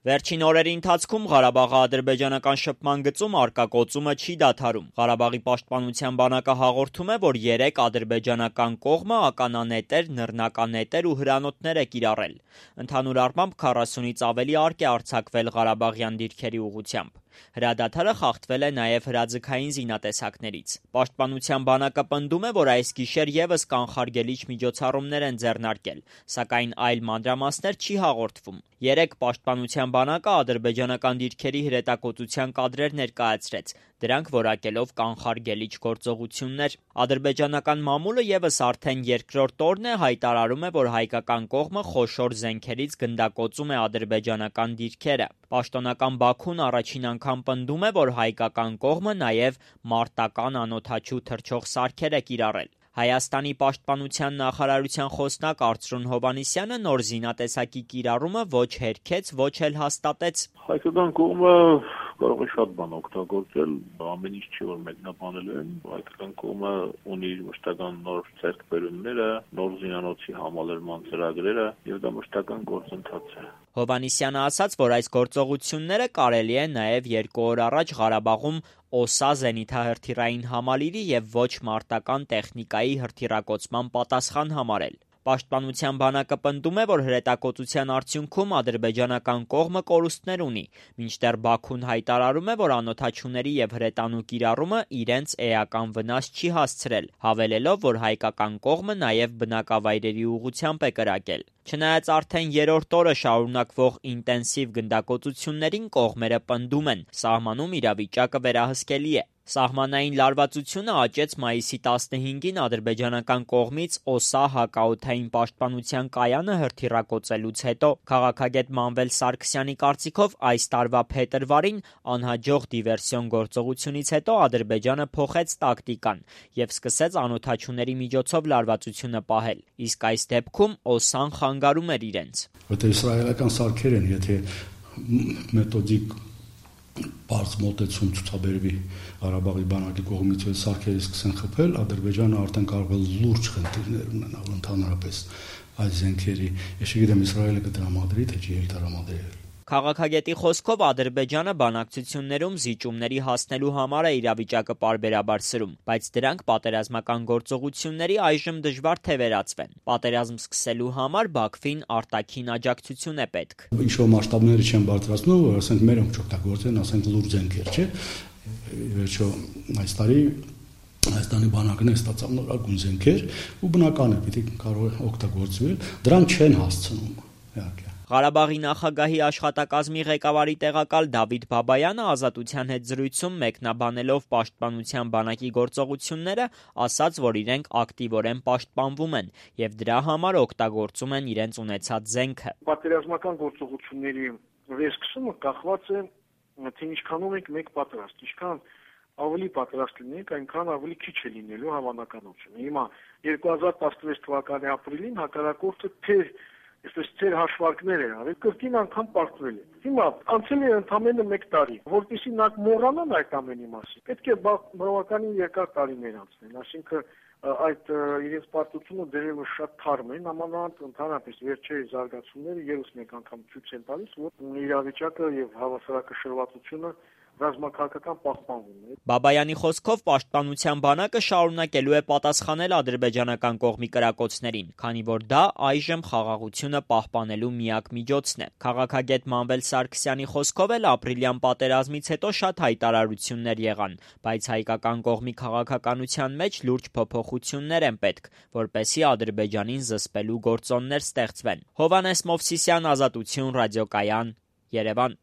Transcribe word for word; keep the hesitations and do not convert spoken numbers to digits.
Վերջին օրերի ընթացքում Ղարաբաղի ադրբեջանական շփման գծում առկա կոծումը չի դադարում։ Ղարաբաղի պաշտպանության բանակը հաղորդում է, որ երեք ադրբեջանական կողմը ականանետեր, նռնականետեր ու հրանոթներ է կիրառել։ Ընդհանուր առմամբ քառասունից ավելի արկ է արձակվել ղարաբաղյան դիրքերի ուղղությամբ։ Հրադադարը խախտվել է նաև հրաձգային զինատեսակներից։ Պաշտպանության բանակը պնդում է, որ այս գիշեր ևս կանխարգելիչ միջոցառումներ են ձեռնարկել, սակայն այլ մանրամասներ չի հաղորդվում։ Երեկ պաշտպանության բանակը ադրբեջանական դիրքերի հրետակոծության կադրեր ներկայացրեց, դրանք որակելով կանխարգելիչ գործողություններ։ Ադրբեջանական մամուլը ևս արդեն երկրորդ օրն է հայտարարում է, որ հայկական կողմը խոշոր զենքերից գնդակոծում է ադրբեջանական դիրքերը։ Պաշտոնական Բաքուն առաջին անգամ պնդում է, որ հայկական կողմը նաև մարտական անօդաչու թռչող սարքեր է կիրառել։ Հայաստանի պաշտպանության նախարարության խոսնակ Արծրուն Հովհաննիսյանը նոր զինատեսակի կիրառումը ոչ հերքեց, ոչ էլ հաստատեց։ Հայկական կողմը կարող է շատ բան օգտագործել, ամեն ինչ չի որ մեկնաբանելու են։ Հայկական կողմը ունի մշտական նոր ձեռքբերումները, նոր զինանոցի համալրման ծրագրերը եւ դա մշտական գործընթաց է։ Հովհաննիսյանը ասաց, որ այս գործողությունները կարելի է նաև երկու օր առաջ Ղարաբաղում օսա զենիթահրթիռային համալիրի եւ ոչ մարտական տեխնիկայի հրթիռակոծման պատասխան համարել։ Պաշտպանության բանակը պնդում է, որ հրետակոծության արդյունքում ադրբեջանական կողմը կորուստներ ունի, մինչդեռ Բաքուն հայտարարում է, որ անօդաչուների եւ հրետանու կիրառումը իրենց էական վնաս չի հասցրել, հավելելով, որ հայկական կողմը նաև բնակավայրերի ուղղությամբ է կրակել։ Չնայած արդեն երրորդ օրը շարունակվող ինտենսիվ գնդակոծություններին կողմերը պնդում են, սահմանում իրավիճակը վերահսկելի է։ Սահմանային լարվածությունը աճեց մայիսի տասնհինգին ադրբեջանական կողմից օսա հակաօդային պաշտպանության կայանը հրթիռակոծելուց հետո։ Քաղաքագետ Մանվել Սարգսյանի կարծիքով այս տարվա փետրվարին անհաջող դիվերսիոն գործողությունից հետո Ադրբեջանը փոխեց տակտիկան եւ սկսեց անօդաչուների միջոցով լարվածությունը պահել, իսկ այս դեպքում օսան խանգարում էր իրենց։ Որտեղ իսրայելական սարքեր են, եթե մեթոդիկ բարձ մոտեցում ցուցաբերվի Ղարաբաղի բանակի կողմից այդ սարքերը սկսեն խփել, Ադրբեջանը արդեն կարող է լուրջ խնդիրներ ունենալ ընդհանրապես այս զենքերի։ Ես չգիտեմ Իսրայելը կդրամադրի թե չի դրամադրի։ Քաղաքագետի խոսքով Ադրբեջանը բանակցություններում զիջումների հասնելու համար է իրավիճակը պարբերաբար սրում, բայց դրանք պատերազմական գործողությունների այժմ դժվար թե վերածվեն։ Պատերազմ սկսելու համար Բաքվին արտաքին աջակցություն է պետք։ Ինչ-որ մասշտաբները չեն բարձրացնում, որ ասենք մերոնք չօգտագործեն, ասենք լուրջ զենքեր, չէ՞։ Վերջո այս տարի Հայաստանի բանակն է ստացավ նորագույն զենքեր ու բնական է պիտի կարող օգտագործվել, դրանք չեն հասցնում, իհարկե։ Ղարաբաղի նախագահի աշխատակազմի ղեկավարի տեղակալ Դավիթ Բաբայանը Ազատության հետ զրույցում մեկնաբանելով պաշտպանության բանակի գործողությունները ասաց, որ իրենք ակտիվորեն պաշտպանվում են եւ դրա համար օգտագործում են իրենց ունեցած զենքը։ Պատերազմական գործողությունների վերսկսումը կախված է թե ինչքանով ենք մեկ պատրաստ, ինչքան ավելի պատրաստ լինենք, այնքան ավելի քիչ է լինելու հավանականությունը։ Հիմա երկու հազար տասնվեց թվականի ապրիլին հակառակորդը թե Այսպես ծեր հաշվարկներ էր արել, կրկին անգամ պարտվել է։ Հիմա անցել է ընդամենը մեկ տարի, որտիսի նա մոռանան այդ ամենի մասին։ Պետք է բավականին երկար տարիներ անցնեն, այսինքն այդ իրենց պարտությունը դերևս շատ թարմ են, նամանավանդ ընդհանրապես վերջերի զարգացումները ևս մեկ անգամ ցույց են տալիս, որ իրավիճակը եւ հավասարակշռվածությունը ռազմաքաղաքական պահպանվում է։ Բաբայանի խոսքով պաշտպանության բանակը շարունակելու է պատասխանել ադրբեջանական կողմի կրակոցներին, քանի որ դա այժմ խաղաղությունը պահպանելու միակ միջոցն է։ Քաղաքագետ Մանվել Սարգսյանի խոսքով էլ ապրիլյան պատերազմից հետո շատ հայտարարություններ եղան, բայց հայկական կողմի քաղաքականության մեջ լուրջ փոփոխություններ են պետք, որպեսզի Ադրբեջանին զսպելու գործոններ ստեղծվեն։ Հովհաննես Մովսիսյան, Ազատություն, ռադիոկայան, Երևան։